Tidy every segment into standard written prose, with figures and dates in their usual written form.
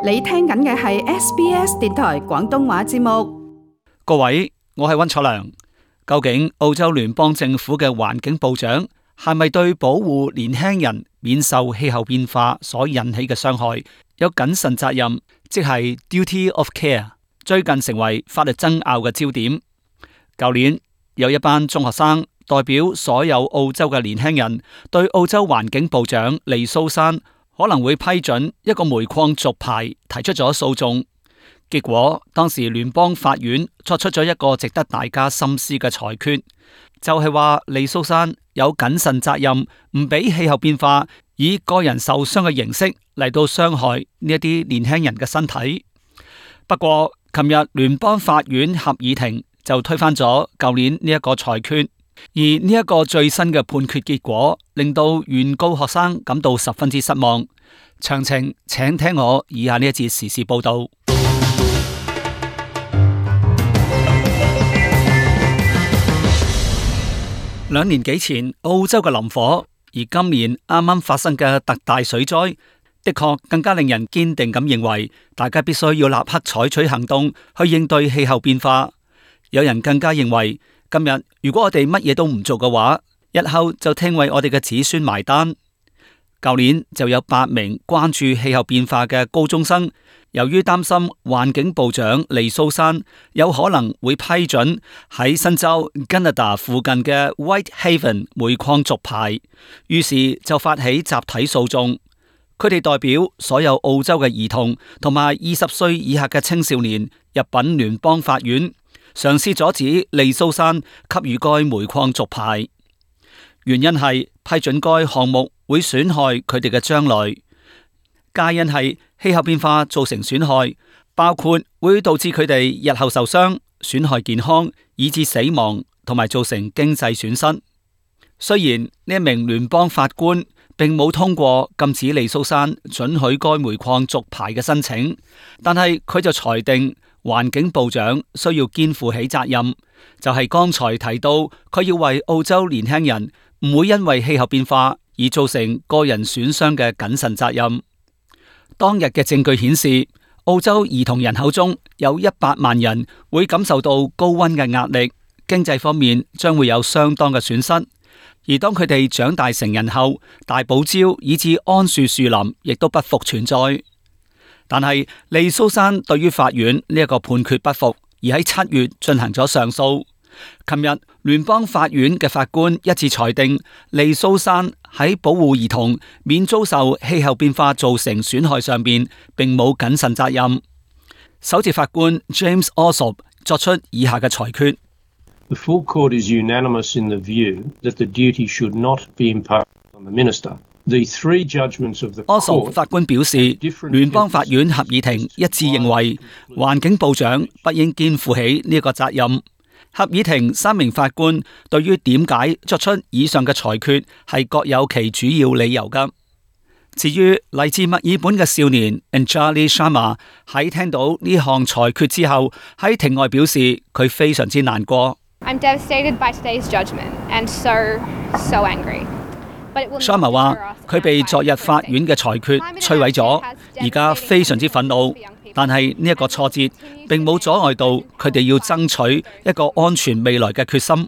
你聽緊嘅係 SBS 電台廣東話節目。各位，我係溫楚良。究竟澳洲聯邦政府嘅環境部長係咪對保護年輕人免受氣候變化所引起嘅傷害有謹慎責任，即係 duty of care， 最近成為法律爭拗嘅焦點。舊年有一班中學生代表所有澳洲嘅年輕人，對澳洲環境部長利蘇珊可能會批准一個煤礦續牌提出咗訴訟。結果當時聯邦法院作出咗一個值得大家深思嘅裁決，就係話利蘇珊有謹慎責任，唔俾氣候變化以個人受傷嘅形式嚟到傷害呢一啲年輕人嘅身體。不過琴日聯邦法院合議庭就推翻咗舊年呢一個裁決，而呢一個最新嘅判決結果令到原告學生感到十分之失望。詳情請聽我以下呢一節時事報道。2年幾前澳洲嘅林火，而今年啱啱發生嘅特大水災，的確更加令人堅定咁認為，大家必須要立刻採取行動去應對氣候變化。有人更加認為，今日如果我哋乜嘢都唔做嘅話，日後就聽為我哋嘅子孫埋單。舊年就有8名關注氣候變化嘅高中生，由於擔心環境部長利蘇珊有可能會批准喺新州 Gunnedah 附近嘅 Whitehaven 煤礦續牌，於是就發起集體訴訟。佢哋代表所有澳洲嘅兒童同埋20歲以下嘅青少年入稟聯邦法院，嘗試阻止利蘇珊給予該煤礦續牌。原因係批准該項目會損害佢哋嘅將來，皆因係氣候變化造成損害，包括會導致佢哋日後受傷、損害健康，以致死亡，同埋造成經濟損失。雖然呢一名聯邦法官並冇通過禁止利蘇珊准許該煤礦續牌嘅申請，但係佢就裁定環境部長需要肩負起責任，就係剛才提到佢要為澳洲年輕人唔會因為氣候變化而造成個人損傷嘅謹慎責任。當日嘅證據顯示，澳洲兒童人口中有100萬人會感受到高溫嘅壓力，經濟方面將會有相當嘅損失。而當佢哋長大成人後，大堡礁以至桉樹樹林亦都不復存在。但係利蘇珊對於法院呢一個判決不服，而喺7月進行咗上訴。琴日聯邦法院嘅法官一致裁定，利蘇珊喺保護兒童免遭受氣候變化造成損害上邊，並冇謹慎責任。首席法官 James Allsop 作出以下嘅裁決。The full court is unanimous in the view that the duty should not be imposed on the minister. The three judgments of the court 法官表示，聯邦法院合議庭一致認為，環境部長不應肩負起呢個責任。合議庭3名法官對於點解作出以上嘅裁決係各有其主要理由㗎。至於嚟自墨爾本嘅少年 Anjali Sharma 喺聽到呢項裁決之後，喺庭外表示佢非常之難過。I'm devastated by today's judgment and so angry. Sharma 話佢被昨日法院嘅裁決摧毀咗，而家非常之憤怒。但係呢一個挫折並冇阻礙到佢哋要爭取一個安全未來嘅決心。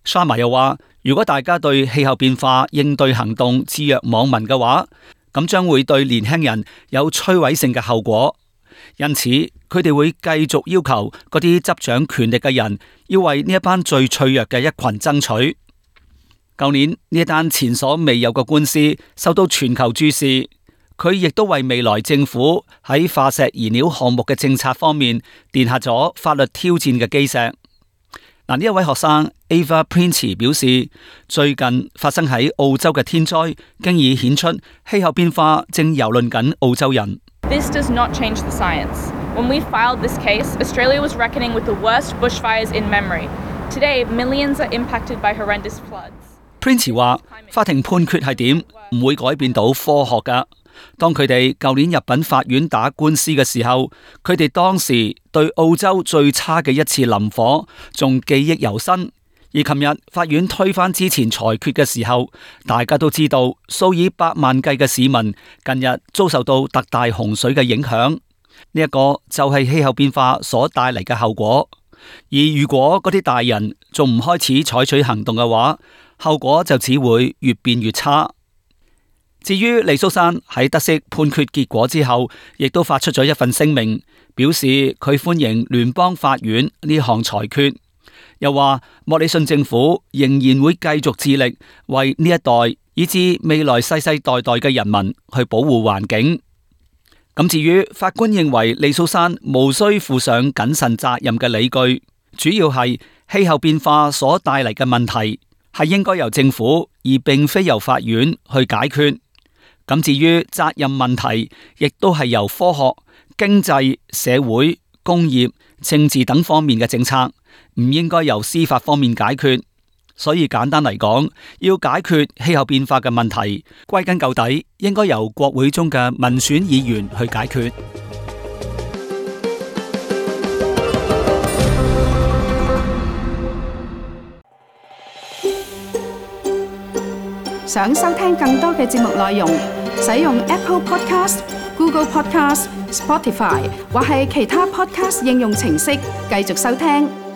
Sharma 又話，如果大家對氣候變化應對行動置若罔聞嘅話，咁將會對年輕人有摧毀性嘅後果。因此，佢哋會繼續要求嗰啲執掌權力嘅人要為呢一班最脆弱嘅一群爭取。舊年呢一單前所未有嘅官司受到全球注視。佢亦都為未來政府喺化石燃料項目嘅政策方面奠下咗法律挑戰嘅基石。呢一位學生 Ava Prince 表示，最近發生喺澳洲嘅天災，經已顯出氣候變化正蹂躪緊澳洲人。This does not change the science. When we filed this case, Australia was reckoning with the worst bushfires in memory. Today, millions are impacted by horrendous floods.Prince 話：法庭判決係點，唔會改變到科學㗎。當佢哋舊年入稟法院打官司嘅時候，佢哋當時對澳洲最差嘅一次林火仲記憶猶新，而琴日法院推翻之前裁決嘅時候，大家都知道數以百萬計嘅市民近日遭受到特大洪水嘅影響，呢一個就係氣候變化所帶嚟嘅後果。而如果嗰啲大人仲唔開始採取行動嘅話，後果就只會越變越差。至於利蘇珊喺得悉判決結果之後，亦都發出咗一份聲明，表示佢歡迎聯邦法院呢項裁決。又話莫里遜政府仍然會繼續致力為呢一代以至未來世世代代嘅人民去保護環境。咁至於法官認為利蘇珊無需負上謹慎責任嘅理據，主要係氣候變化所帶嚟嘅問題係應該由政府而並非由法院去解決。咁至於責任問題，亦都係由科學、經濟、社會、工業、政治等方面嘅政策，唔應該由司法方面解決。所以簡單嚟講，要解決氣候變化嘅問題，歸根究底應該由國會中嘅民選議員去解決。想收聽更多嘅節目內容，使用 Apple Podcast、Google Podcast、Spotify 或係其他 Podcast 應用程式繼續收聽。